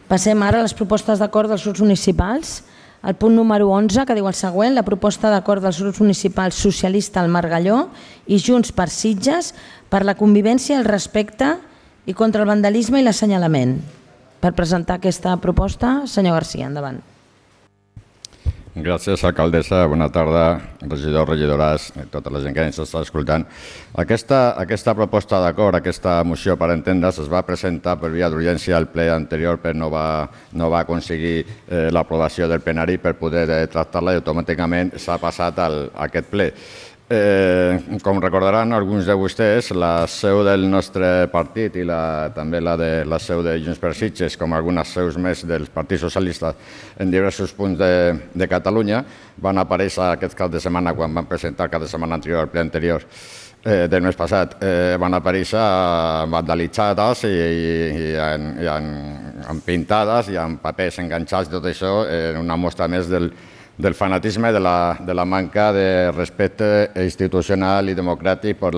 Passem ara a les propostes d'acord dels grups municipals. El punt número 11, que diu el següent: la proposta d'acord dels grups municipals socialista al Margalló i Junts per Sitges per la convivència, el respecte i contra el vandalisme i l'assenyalament. Per presentar aquesta proposta, senyor Garcia, endavant. Gràcies, alcaldessa. Bona tarda, regidors, regidores, tota la gent que ens està escoltant. Aquesta proposta d'acord, aquesta moció, per entendre's, es va presentar per via d'urgència al ple anterior, però no va aconseguir l'aprovació del plenari per poder tractar-la i automàticament s'ha passat a aquest ple. Com recordaran alguns de vostès, la seu del nostre partit i també la seu de Junts per Sitges, com algunes seus més del Partit Socialista en diversos punts de Catalunya, van aparèixer aquest cap de setmana, quan van presentar el cap de setmana anterior, el ple anterior del mes passat, van aparèixer vandalitzades i amb pintades i amb papers enganxats, tot això en una mostra més del fanatisme, de la manca de respecte institucional i democràtic per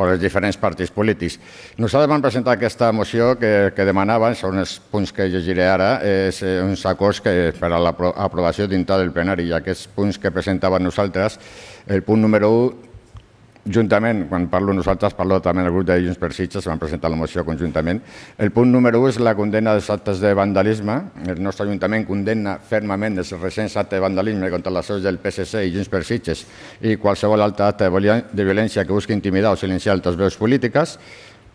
els diferents partits polítics. Nosaltres vam presentar aquesta moció que demanaven, són els punts que llegiré ara, uns acords per a l'aprovació dintre del plenari, i aquests punts que presentàvem nosaltres, el punt número 1, juntament, quan parlo nosaltres, parlo també del grup de Junts per Sitges, van presentar la moció conjuntament. El punt número 1 és la condemna dels actes de vandalisme. El nostre Ajuntament condemna fermament els recents actes de vandalisme contra les seus del PSC i Junts per Sitges i qualsevol altre acte de violència que busqui intimidar o silenciar altres veus polítiques.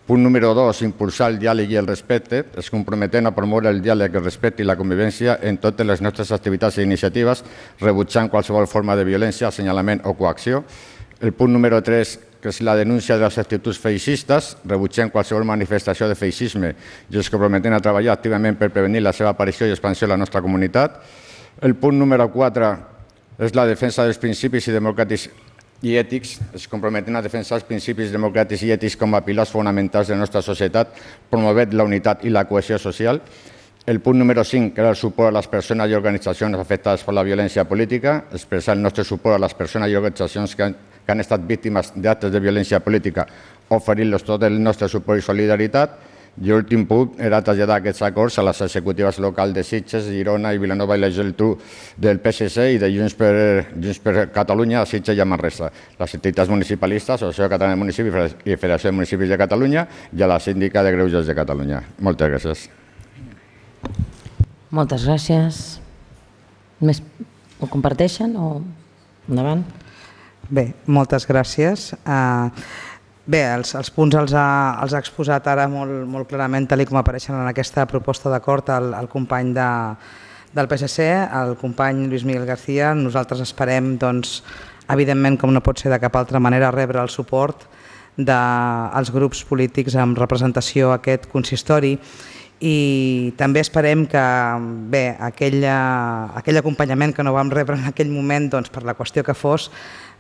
Punt número 2, impulsar el diàleg i el respecte. Es comprometem a promoure el diàleg, el respecte i la convivència en totes les nostres activitats i iniciatives, rebutjant qualsevol forma de violència, assenyalament o coacció. El punt número 3, que és la denúncia de les actituds feixistes, rebutgem qualsevol manifestació de feixisme i ens comprometem a treballar activament per prevenir la seva aparició i expansió a la nostra comunitat. El punt número 4 és la defensa dels principis democràtics i ètics. Ens comprometem a defensar els principis democràtics i ètics com a pilars fonamentals de la nostra societat, promovent la unitat i la cohesió social. El punt número 5, que era el suport a les persones i organitzacions afectades per la violència política, expressar el nostre suport a les persones i organitzacions que han estat víctimes d'actes de violència política, oferint-los tot el nostre suport i solidaritat. I l'últim punt era traslladar aquests acords a les executives locals de Sitges, Girona i Vilanova i la Geltrú del PSC i de Junts per Catalunya a Sitges i a Manresa, les entitats municipalistes, Associació Catalana de Municipis i Federació de Municipis de Catalunya i a la Síndica de Greuges de Catalunya. Moltes gràcies. Moltes gràcies. Ho comparteixen o endavant? Bé, moltes gràcies. Bé, els punts els ha exposat ara molt clarament, tal com apareixen en aquesta proposta d'acord, el company del PSC, el company Lluís Miguel García. Nosaltres esperem, evidentment, com no pot ser de cap altra manera, rebre el suport dels grups polítics amb representació a aquest consistori. I també esperem que aquell acompanyament que no vam rebre en aquell moment per la qüestió que fos,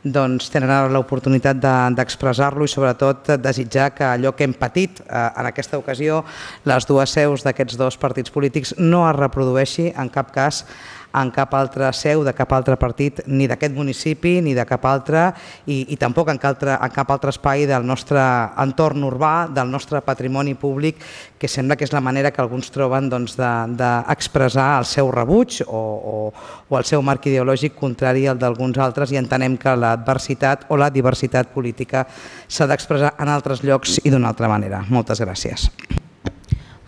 tenen l'oportunitat d'expressar-lo i sobretot desitjar que allò que hem patit en aquesta ocasió, les dues seus d'aquests dos partits polítics, no es reprodueixi en cap cas en cap altra seu de cap altre partit, ni d'aquest municipi ni de cap altre, i tampoc en cap altre espai del nostre entorn urbà, del nostre patrimoni públic, que sembla que és la manera que alguns troben d'expressar el seu rebuig o el seu marc ideològic contrari al d'alguns altres, i entenem que l'adversitat o la diversitat política s'ha d'expressar en altres llocs i d'una altra manera. Moltes gràcies.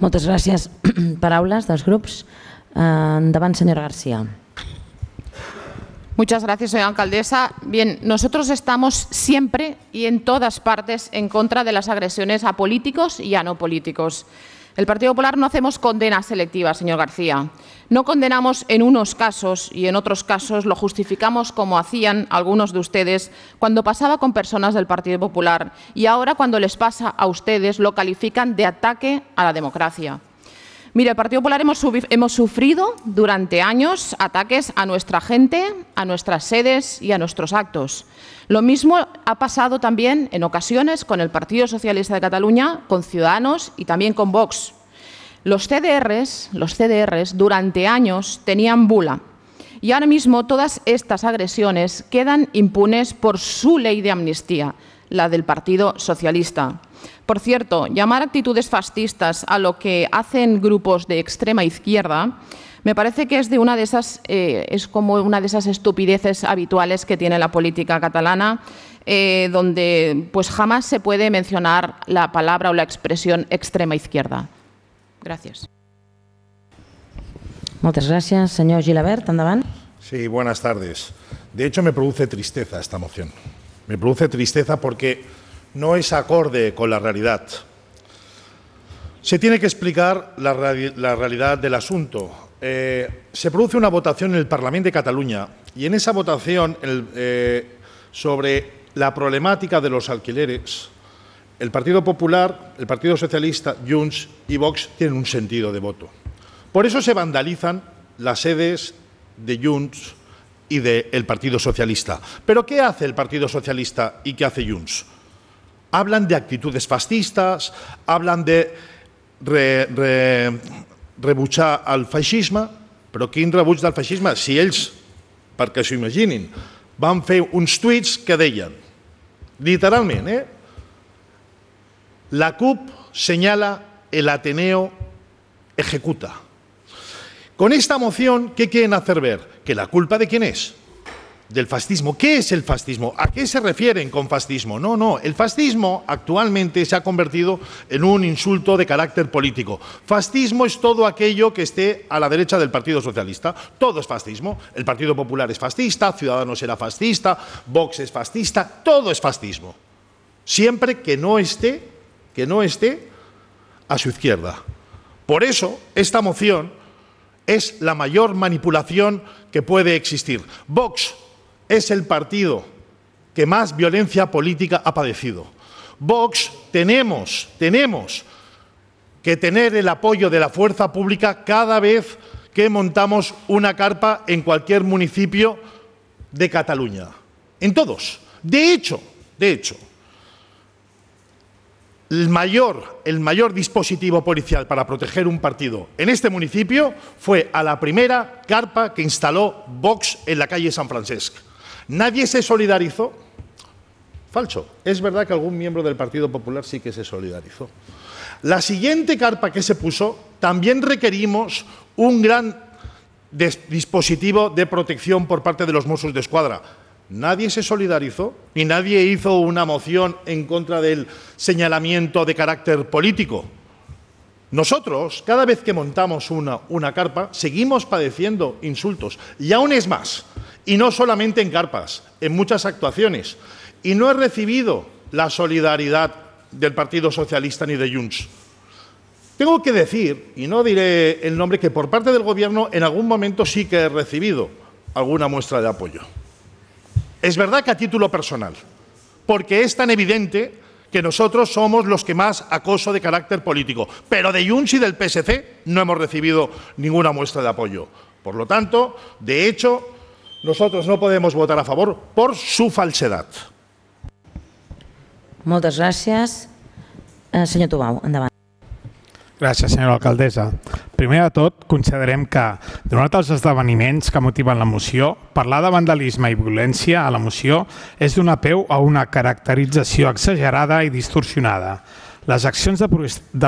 Moltes gràcies. Paraules dels grups. Endavant, señora García. Muchas gracias, señora alcaldesa. Bien, nosotros estamos siempre y en todas partes en contra de las agresiones a políticos y a no políticos. El Partido Popular no hacemos condenas selectivas, señor García. No condenamos en unos casos y en otros casos lo justificamos como hacían algunos de ustedes cuando pasaba con personas del Partido Popular, y ahora cuando les pasa a ustedes lo califican de ataque a la democracia. Mire, el Partido Popular hemos sufrido durante años ataques a nuestra gente, a nuestras sedes y a nuestros actos. Lo mismo ha pasado también en ocasiones con el Partido Socialista de Cataluña, con Ciudadanos y también con Vox. Los CDRs durante años tenían bula, y ahora mismo todas estas agresiones quedan impunes por su ley de amnistía, la del Partido Socialista. Por cierto, llamar actitudes fascistas a lo que hacen grupos de extrema izquierda me parece que es como una de esas estupideces habituales que tiene la política catalana, donde pues jamás se puede mencionar la palabra o la expresión extrema izquierda. Gracias. Muchas gracias. Señor Gilabert, endavant. Sí, buenas tardes. De hecho, me produce tristeza esta moción. Me produce tristeza porque no es acorde con la realidad. Se tiene que explicar la realidad del asunto. Se produce una votación en el Parlamento de Cataluña y en esa votación sobre la problemática de los alquileres, el Partido Popular, el Partido Socialista, Junts y Vox tienen un sentido de voto. Por eso se vandalizan las sedes de Junts y del Partido Socialista. ¿Pero qué hace el Partido Socialista y qué hace Junts? Hablan de actitudes fascistas, hablan de rebutjar el feixisme, però quin rebuig del feixisme? Si ells, perquè s'ho imaginin, van fer uns tuits que deien, literalment, la CUP señala el Ateneo ejecuta. Con esta moción, ¿qué quieren hacer ver? ¿Que la culpa de quién es? Del fascismo. ¿Qué es el fascismo? ¿A qué se refieren con fascismo? No. El fascismo actualmente se ha convertido en un insulto de carácter político. Fascismo es todo aquello que esté a la derecha del Partido Socialista. Todo es fascismo. El Partido Popular es fascista, Ciudadanos era fascista, Vox es fascista, todo es fascismo. Siempre que no esté a su izquierda. Por eso, esta moción es la mayor manipulación que puede existir. Vox es el partido que más violencia política ha padecido. Vox tenemos que tener el apoyo de la fuerza pública cada vez que montamos una carpa en cualquier municipio de Cataluña. En todos. De hecho, el mayor dispositivo policial para proteger un partido en este municipio fue a la primera carpa que instaló Vox en la calle San Francesc. ¿Nadie se solidarizó? Falso. Es verdad que algún miembro del Partido Popular sí que se solidarizó. La siguiente carpa que se puso también requerimos un gran dispositivo de protección por parte de los Mossos d'Esquadra. Nadie se solidarizó ni nadie hizo una moción en contra del señalamiento de carácter político. Nosotros, cada vez que montamos una carpa, seguimos padeciendo insultos. Y aún es más, y no solamente en carpas, en muchas actuaciones. Y no he recibido la solidaridad del Partido Socialista ni de Junts. Tengo que decir, y no diré el nombre, que por parte del Gobierno en algún momento sí que he recibido alguna muestra de apoyo. Es verdad que a título personal, porque es tan evidente que nosotros somos los que más acoso de carácter político, pero de Junts y del PSC no hemos recibido ninguna muestra de apoyo. Por lo tanto, de hecho, nosotros no podemos votar a favor por su falsedad. Moltes gràcies. Senyor Tubau, endavant. Gràcies, senyora alcaldessa. Primer de tot, considerem que, donat els esdeveniments que motiven la moció, parlar de vandalisme i violència a la moció és donar peu a una caracterització exagerada i distorsionada. Les accions de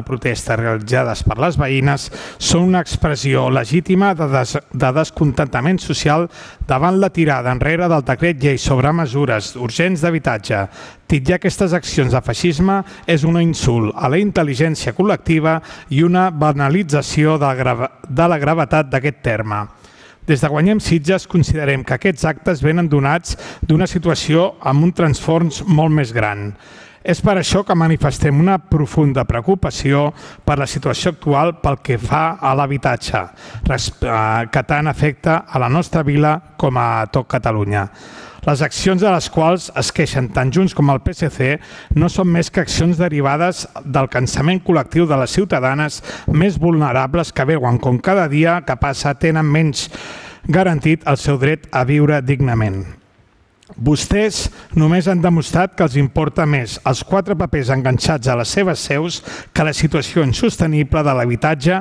protesta realitzades per les veïnes són una expressió legítima de descontentament social davant la tirada enrere del decret llei sobre mesures urgents d'habitatge. Titllar aquestes accions de feixisme és un insult a la intel·ligència col·lectiva i una banalització de la gravetat d'aquest terme. Des de Guanyem Sitges considerem que aquests actes venen donats d'una situació amb un transfons molt més gran. És per això que manifestem una profunda preocupació per la situació actual pel que fa a l'habitatge, que tant afecta a la nostra vila com a tot Catalunya. Les accions de les quals es queixen tant Junts com el PSC no són més que accions derivades del cansament col·lectiu de les ciutadanes més vulnerables que veuen com cada dia que passa tenen menys garantit el seu dret a viure dignament. Vostès només han demostrat que els importa més els 4 papers enganxats a les seves seus que la situació insostenible de l'habitatge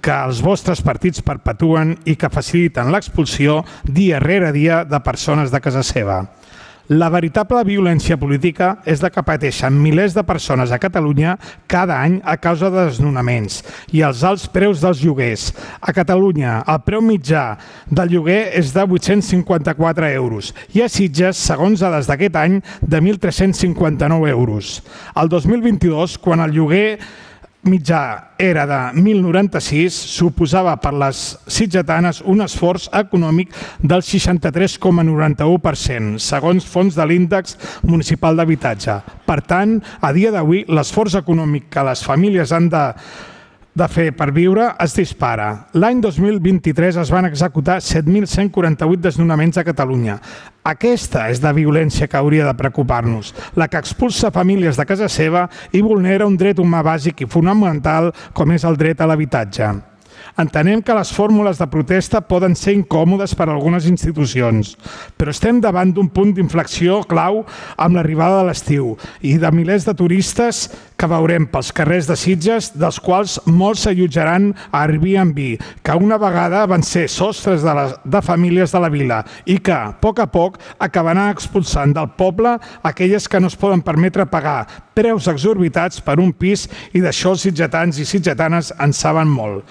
que els vostres partits perpetuen i que faciliten l'expulsió dia rere dia de persones de casa seva. La veritable violència política és la que pateixen milers de persones a Catalunya cada any a causa de desnonaments i els alts preus dels lloguers. A Catalunya, el preu mitjà del lloguer és de 854 euros i a Sitges, segons dades d'aquest any, de 1.359 euros. El 2022, quan el lloguer mitjà era de 1.096, suposava per les sitgetanes un esforç econòmic del 63,91%, segons fons de l'índex municipal d'habitatge. Per tant, a dia d'avui, l'esforç econòmic que les famílies han de fer per viure es dispara. L'any 2023 es van executar 7.148 desnonaments a Catalunya. Aquesta és la violència que hauria de preocupar-nos, la que expulsa famílies de casa seva i vulnera un dret humà bàsic i fonamental com és el dret a l'habitatge. Entenem que les fórmules de protesta poden ser incòmodes per a algunes institucions, però estem davant d'un punt d'inflexió clau amb l'arribada de l'estiu i de milers de turistes que veurem pels carrers de Sitges, dels quals molts s'allotjaran a Airbnb, que una vegada van ser sostres de famílies de la vila i que, a poc, acabaran expulsant del poble aquelles que no es poden permetre pagar preus exorbitats per un pis, i d'això els sitgetans i sitgetanes en saben molt.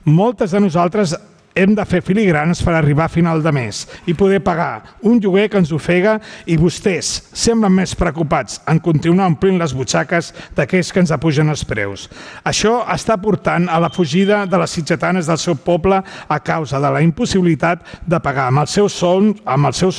Moltes de nosaltres hem de fer filigranes per arribar a final de mes i poder pagar un lloguer que ens ofega, i vostès semblen més preocupats en continuar omplint les butxaques d'aquells que ens apugen els preus. Això està portant a la fugida de les sitgetanes del seu poble a causa de la impossibilitat de pagar amb els seus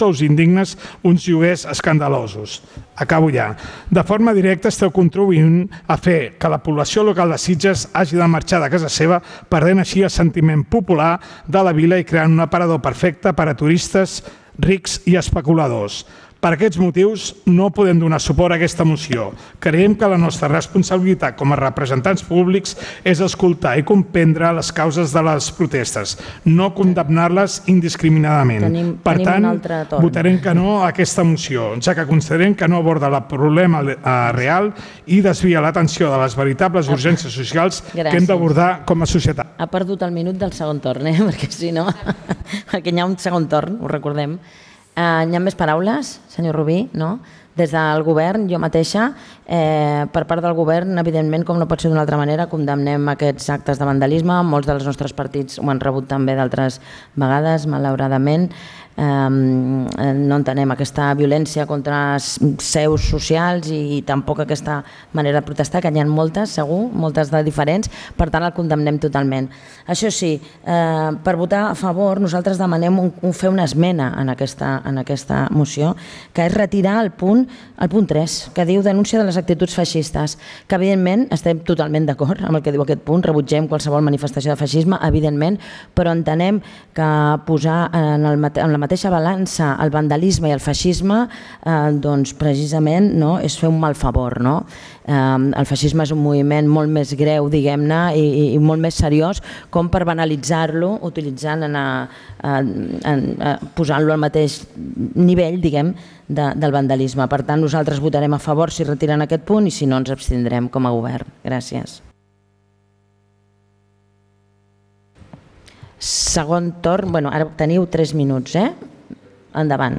sous indignes uns lloguers escandalosos. Acabo ja. De forma directa esteu contribuint a fer que la població local de Sitges hagi de marxar de casa seva, perdent així el sentiment popular de la vila i creant un aparador perfecte per a turistes rics i especuladors. Per aquests motius no podem donar suport a aquesta moció. Creiem que la nostra responsabilitat com a representants públics és escoltar i comprendre les causes de les protestes, no condemnar-les indiscriminadament. Per tant, votarem que no a aquesta moció, ja que considerem que no aborda el problema real i desvia l'atenció de les veritables urgències socials que hem d'abordar com a societat. Ha perdut el minut del segon torn, perquè si no, perquè hi ha un segon torn, ho recordem. Hi ha més paraules, senyor Rubí? No? Des del govern, jo mateixa, per part del govern, evidentment, com no pot ser d'una altra manera, condemnem aquests actes de vandalisme. Molts dels nostres partits ho han rebut també d'altres vegades, malauradament. No entenem aquesta violència contra seus socials i tampoc aquesta manera de protestar, que n'hi ha moltes, segur, moltes de diferents, per tant el condemnem totalment. Això sí, per votar a favor nosaltres demanem fer una esmena en aquesta moció, que és retirar el punt 3, que diu denúncia de les actituds feixistes, que evidentment estem totalment d'acord amb el que diu aquest punt, rebutgem qualsevol manifestació de feixisme, evidentment, però entenem que posar en la mateixa balança el vandalisme i el feixisme doncs precisament és fer un mal favor. El feixisme és un moviment molt més greu, diguem-ne, i molt més seriós com per banalitzar-lo utilitzant, posant-lo al mateix nivell, diguem, del vandalisme. Per tant, nosaltres votarem a favor si retiren aquest punt i si no ens abstindrem com a govern. Gràcies. Segon torn, ara teniu 3 minuts, endavant.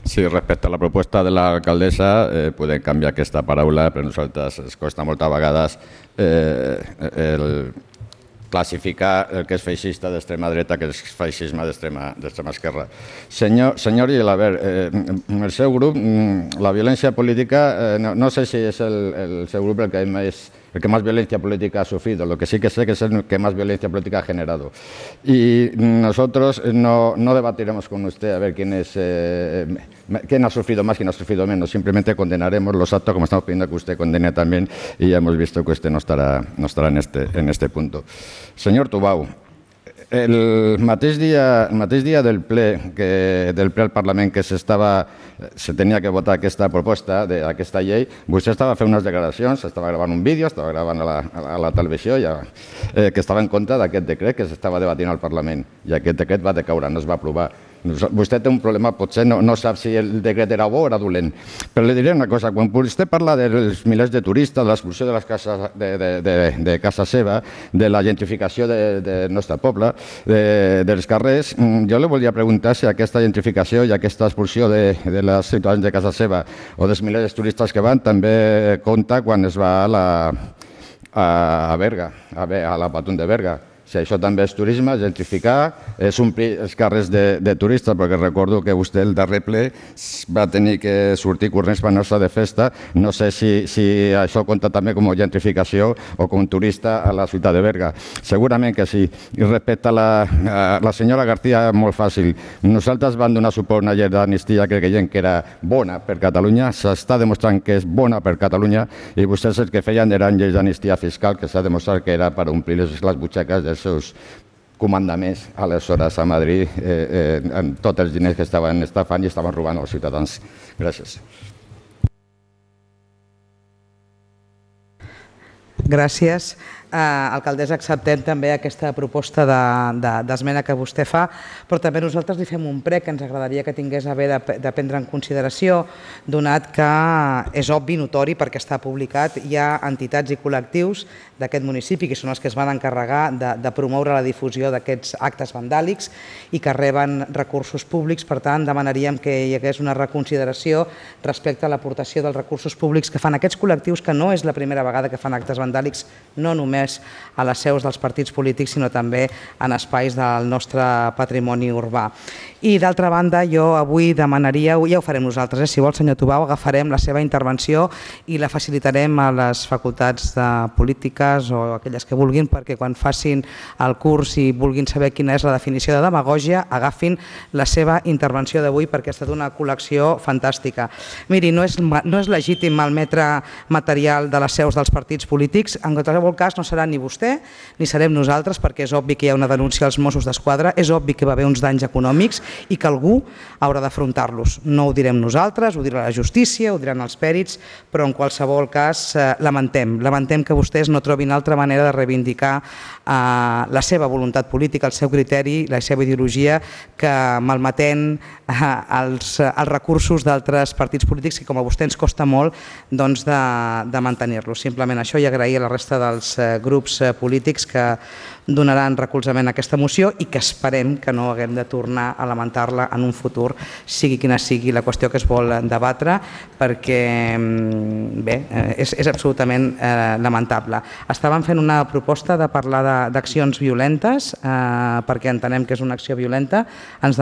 Sí, respecte a la proposta de l'alcaldessa, podem canviar aquesta paraula, però a nosaltres ens costa moltes vegades classificar el que és feixista d'extrema dreta, que és feixisme d'extrema esquerra. Senyor Gilabert, el seu grup, la violència política, no sé si és el seu grup el que más violencia política ha sufrido, lo que sí que sé que es el que más violencia política ha generado. Y nosotros no debatiremos con usted a ver quién ha sufrido más, quién ha sufrido menos, simplemente condenaremos los actos como estamos pidiendo que usted condene también, y ya hemos visto que usted no estará en este punto. Senyor Tubau, el mateix dia del ple al Parlament que se tenia que votar aquesta proposta d'aquesta llei, vostè estava fent unes declaracions, estava gravant un vídeo, estava gravant a la televisió, que estava en contra d'aquest decret que s'estava debatint al Parlament, i aquest decret va decaure, no es va aprovar. Vostè té un problema, potser no sap si el decret era bo o era dolent. Però li diré una cosa, quan vostè parla dels milers de turistes, de l'expulsió de casa seva, de la gentrificació del nostre poble, dels carrers, jo li volia preguntar si aquesta gentrificació i aquesta expulsió de les ciutadans de casa seva o dels milers de turistes que van també compta quan es va a Berga, a la Patum de Berga. Si això també és turisme, gentrificar, és omplir els carrers de turistes, perquè recordo que vostè el darrer ple va tenir que sortir corrents per anar-se de festa. No sé si això compta també com a gentrificació o com turista a la ciutat de Berga. Segurament que sí. I respecte a la senyora García, molt fàcil. Nosaltres vam donar suport a una llei d'amnistia que creiem que era bona per Catalunya, s'està demostrant que és bona per Catalunya, i vostès el que feien eren lleis d'amnistia fiscal, que s'ha demostrat que era per omplir les butxaques dels seus comandaments aleshores a Madrid amb tots els diners que estaven estafant i estaven robant als ciutadans. Gràcies. Gràcies. Alcaldessa, acceptem també aquesta proposta d'esmena que vostè fa, però també nosaltres li fem un prec que ens agradaria que tingués a bé de prendre en consideració, donat que és obvi, notori, perquè està publicat, hi ha entitats i col·lectius d'aquest municipi que són els que es van encarregar de promoure la difusió d'aquests actes vandàlics i que reben recursos públics. Per tant, demanaríem que hi hagués una reconsideració respecte a l'aportació dels recursos públics que fan aquests col·lectius, que no és la primera vegada que fan actes vandàlics, no només a les seus dels partits polítics, sinó també en espais del nostre patrimoni urbà. I d'altra banda, jo avui demanaria, ja ho farem nosaltres, si vol, senyor Tubau, agafarem la seva intervenció i la facilitarem a les facultats de polítiques o aquelles que vulguin, perquè quan facin el curs i vulguin saber quina és la definició de demagògia, agafin la seva intervenció d'avui, perquè ha estat una col·lecció fantàstica. Miri, no és legítim malmetre material de les seus dels partits polítics. En qualsevol cas, no serà ni vostè ni serem nosaltres, perquè és obvi que hi ha una denúncia als Mossos d'Esquadra, és obvi que va haver uns danys econòmics i que algú haurà d'afrontar-los. No ho direm nosaltres, ho dirà la justícia, ho diran els pèrits, però en qualsevol cas lamentem que vostès no trobin altra manera de reivindicar la seva voluntat política, el seu criteri, la seva ideologia, que malmetent els recursos d'altres partits polítics que com a vostè ens costa molt de mantenir-los. Simplement això, i agrair a la resta dels grups polítics que donaran recolzament a aquesta moció i que esperem que no haguem de tornar a lamentar-la en un futur, sigui quina sigui la qüestió que es vol debatre, perquè bé, és absolutament lamentable. Estàvem fent una proposta de parlar d'accions violentes, perquè entenem que és una acció violenta. Ens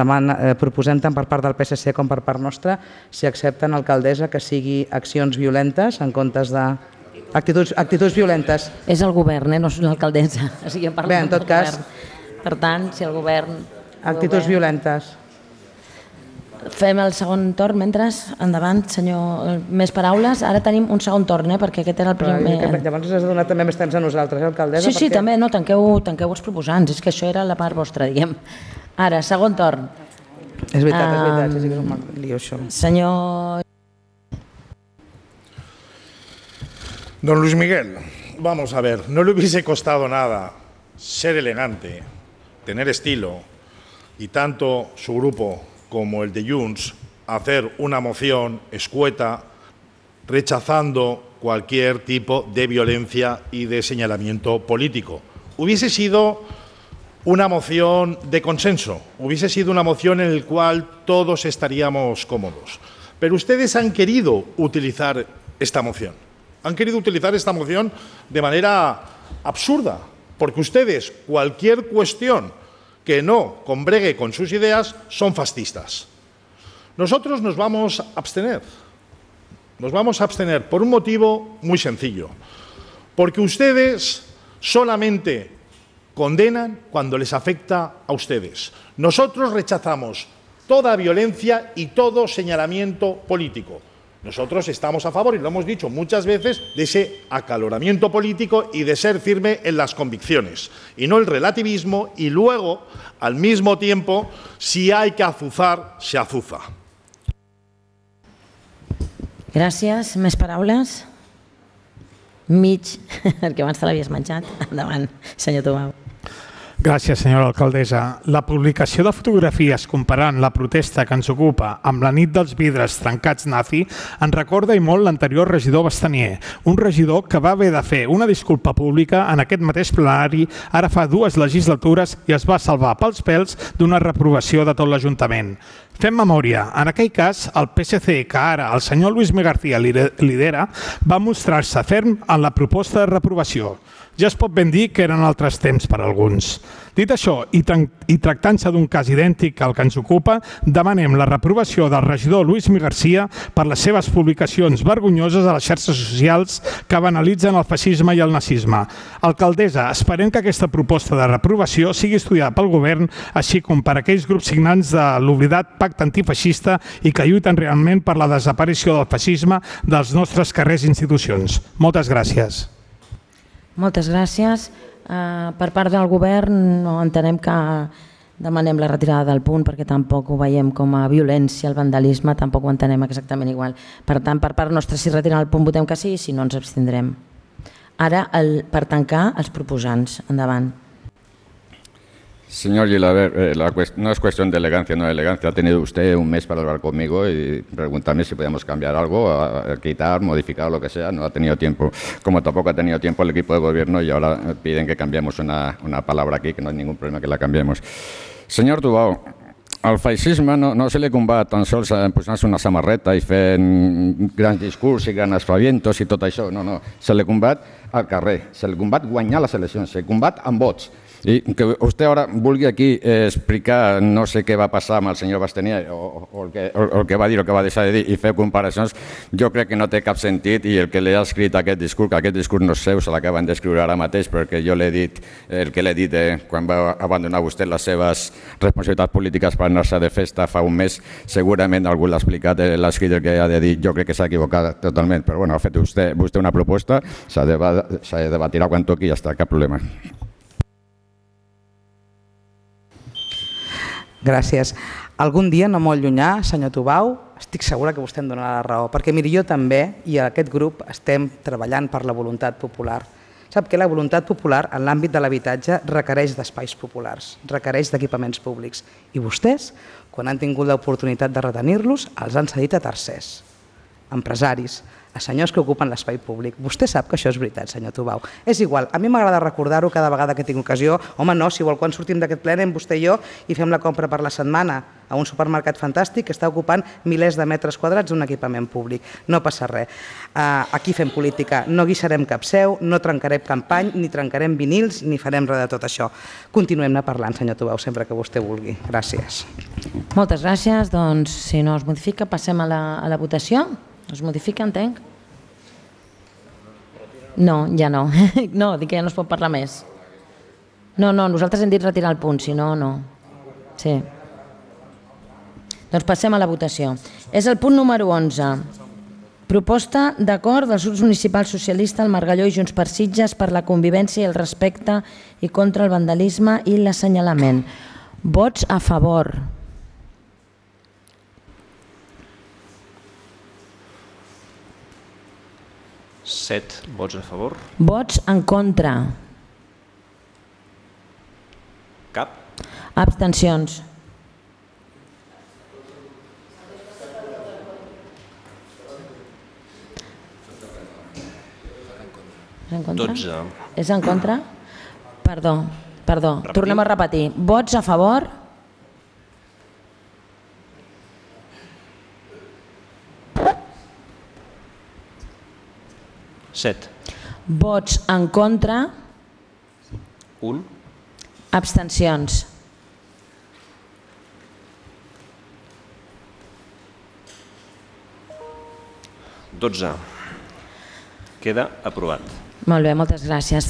proposem tant per part del PSC com per part nostra, si accepten, alcaldessa, que sigui accions violentes en comptes de... Actituds violentes. És el govern, no és l'alcaldessa. Bé, en tot cas... Per tant, si el govern... Actituds violentes. Fem el segon torn, mentre, endavant, senyor, més paraules. Ara tenim un segon torn, perquè aquest era el primer... Llavors ens has de donar també més temps a nosaltres, alcaldessa? Sí, també, no, tanqueu els proposants, és que això era la part vostra, diguem. Ara, segon torn. És veritat, sí que és un lío, això. Senyor... Don Luis Miguel, vamos a ver, no le hubiese costado nada ser elegante, tener estilo, y tanto su grupo como el de Junts hacer una moción escueta rechazando cualquier tipo de violencia y de señalamiento político. Hubiese sido una moción de consenso, hubiese sido una moción en la cual todos estaríamos cómodos. Pero ustedes han querido utilizar esta moción. Han querido utilizar esta moción de manera absurda, porque ustedes, cualquier cuestión que no combregue con sus ideas, son fascistas. Nosotros nos vamos a abstener. Nos vamos a abstener por un motivo muy sencillo, porque ustedes solamente condenan cuando les afecta a ustedes. Nosotros rechazamos toda violencia y todo señalamiento político. Nosotros estamos a favor, y lo hemos dicho muchas veces, de ese acaloramiento político y de ser firme en las convicciones, y no el relativismo, y luego, al mismo tiempo, si hay que azuzar, se azuza. Gràcies. Més paraules? Mig, perquè abans te l'havies menjat. Endavant, senyor Tubau. Gràcies, senyora alcaldessa. La publicació de fotografies comparant la protesta que ens ocupa amb la nit dels vidres trencats nazi ens recorda i molt l'anterior regidor Bastanier, un regidor que va haver de fer una disculpa pública en aquest mateix plenari ara fa 2 legislatures i es va salvar pels pèls d'una reprovació de tot l'Ajuntament. Fem memòria. En aquell cas, el PSC, que ara el senyor Luis M. García lidera, va mostrar-se ferm en la proposta de reprovació. Ja es pot ben dir que eren altres temps per a alguns. Dit això, i tractant-se d'un cas idèntic al que ens ocupa, demanem la reprovació del regidor Luis M. García per les seves publicacions vergonyoses a les xarxes socials que banalitzen el feixisme i el nazisme. Alcaldessa, esperem que aquesta proposta de reprovació sigui estudiada pel govern, així com per aquells grups signants de l'oblidat pacte antifeixista i que lluiten realment per la desaparició del feixisme dels nostres carrers i institucions. Moltes gràcies. Moltes gràcies. Per part del govern no entenem que demanem la retirada del punt perquè tampoc ho veiem com a violència, el vandalisme, tampoc ho entenem exactament igual. Per tant, per part nostra, si retiren el punt votem que sí, si no ens abstindrem. Ara, per tancar, els proposants. Endavant. Señor Gilaber, no es cuestión de elegancia o no elegancia. Ha tenido usted un mes para hablar conmigo y preguntarme si podíamos cambiar algo, quitar, modificar, lo que sea. No ha tenido tiempo, como tampoco ha tenido tiempo el equipo de gobierno y ahora piden que cambiemos una palabra aquí, que no hay ningún problema que la cambiemos. Señor Tubau, al feixisme no se li combat tan sols posant-se una samarreta i fent grans discurs i grans aspavientos i tot això. No. Se li combat al carrer, se li combat guanyar les eleccions, se li combat amb vots. I que vostè ara vulgui aquí explicar no sé què va passar amb el senyor Bastanier o el que va dir o que va deixar de dir i fer comparacions, jo crec que no té cap sentit i el que li ha escrit aquest discurs no és seu, se l'acaben d'escriure ara mateix perquè jo l'he dit el que l'he dit quan va abandonar vostè les seves responsabilitats polítiques per anar-se de festa fa un mes, segurament algú l'ha explicat, l'ha escrit el que ha de dir, jo crec que s'ha equivocat totalment, però bueno, ha fet vostè una proposta, s'ha de debatir quan toqui i ja està, cap problema. Gràcies. Algun dia, no molt llunyà, senyor Tubau, estic segura que vostè em donarà la raó, perquè miri, jo també i aquest grup estem treballant per la voluntat popular. Sap que la voluntat popular en l'àmbit de l'habitatge requereix d'espais populars, requereix d'equipaments públics. I vostès, quan han tingut l'oportunitat de retenir-los, els han cedit a tercers, empresaris, a senyors que ocupen l'espai públic. Vostè sap que això és veritat, senyor Tubau. És igual, a mi m'agrada recordar-ho cada vegada que tinc ocasió. Home, no, si vol, quan sortim d'aquest ple anem vostè i jo i fem la compra per la setmana a un supermercat fantàstic que està ocupant milers de metres quadrats d'un equipament públic. No passa res. Aquí fem política, no guixarem cap seu, no trencarem campany, ni trencarem vinils, ni farem res de tot això. Continuem-ne parlant, senyor Tubau, sempre que vostè vulgui. Gràcies. Moltes gràcies. Doncs, si no es modifica, passem a la votació. Es modifica, entenc? No, ja no. No, dic que ja no es pot parlar més. No, nosaltres hem dit retirar el punt, si no, no. Sí. Doncs passem a la votació. És el punt número 11. Proposta d'acord dels grups municipals socialista, el Margalló i Junts per Sitges per la convivència i el respecte i contra el vandalisme i l'assenyalament. Vots a favor. Set vots a favor. Vots en contra. Cap. Abstencions. És en contra? 12. És en contra? Perdó. Tornem a repetir. Vots a favor. Set. Vots en contra. 1. Abstencions. Queda aprovat. Molt bé, moltes gràcies.